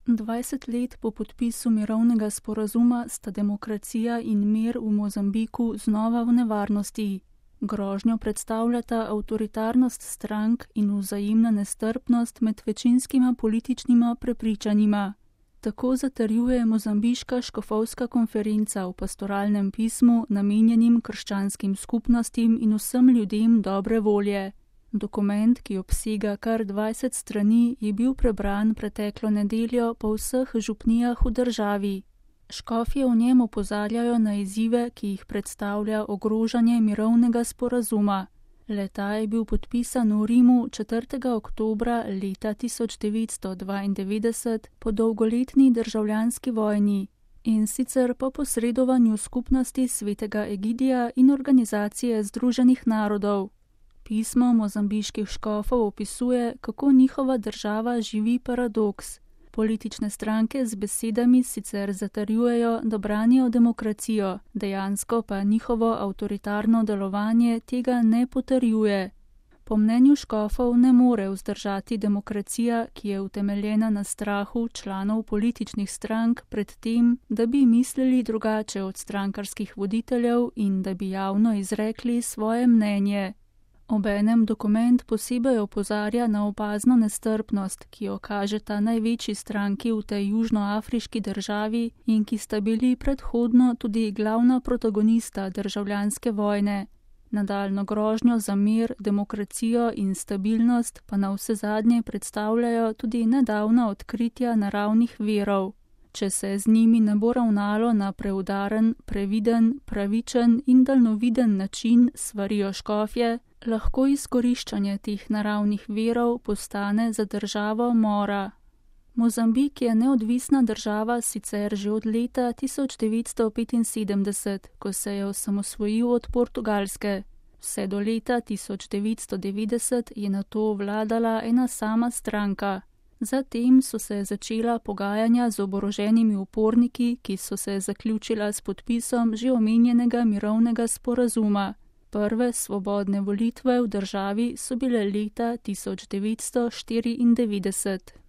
20 let po podpisu mirovnega sporazuma sta demokracija in mir v Mozambiku znova v nevarnosti. Grožnjo predstavljata avtoritarnost strank in vzajemna nestrpnost med večinskima političnima prepričanjima. Tako zatrjuje Mozambiška škofovska konferenca v pastoralnem pismu namenjenim krščanskim skupnostim in vsem ljudem dobre volje. Dokument, ki obsega kar 20 strani, je bil prebran preteklo nedeljo po vseh župnijah v državi. Škofje v njem opozarjajo na izzive, ki jih predstavlja ogrožanje mirovnega sporazuma. Le-ta je bil podpisan v Rimu 4. oktobra leta 1992 po dolgoletni državljanski vojni in sicer po posredovanju skupnosti svetega Egidija in Organizacije združenih narodov. Pismo mozambiških škofov opisuje, kako njihova država živi paradoks. Politične stranke z besedami sicer zatrjujejo, da branijo demokracijo, dejansko pa njihovo avtoritarno delovanje tega ne potrjuje. Po mnenju škofov ne more vzdržati demokracija, ki je utemeljena na strahu članov političnih strank pred tem, da bi mislili drugače od strankarskih voditeljev in da bi javno izrekli svoje mnenje. Obenem dokument posebej opozarja na opazno nestrpnost, ki jo kažeta največji stranki v tej južnoafriški državi in ki sta bili predhodno tudi glavna protagonista državljanske vojne. Nadaljnjo grožnjo za mir, demokracijo in stabilnost pa navsezadnje predstavljajo tudi nedavna odkritja naravnih virov. Če se z njimi ne bo ravnalo na preudaren, previden, pravičen in daljnoviden način, svarijo škofje, lahko izkoriščanje teh naravnih virov postane za državo mora. Mozambik je neodvisna država sicer že od leta 1975, ko se je osamosvojil od Portugalske. Vse do leta 1990 je nato vladala ena sama stranka. Zatem so se začela pogajanja z oboroženimi uporniki, ki so se zaključila s podpisom že omenjenega mirovnega sporazuma. Prve svobodne volitve v državi so bile leta 1994.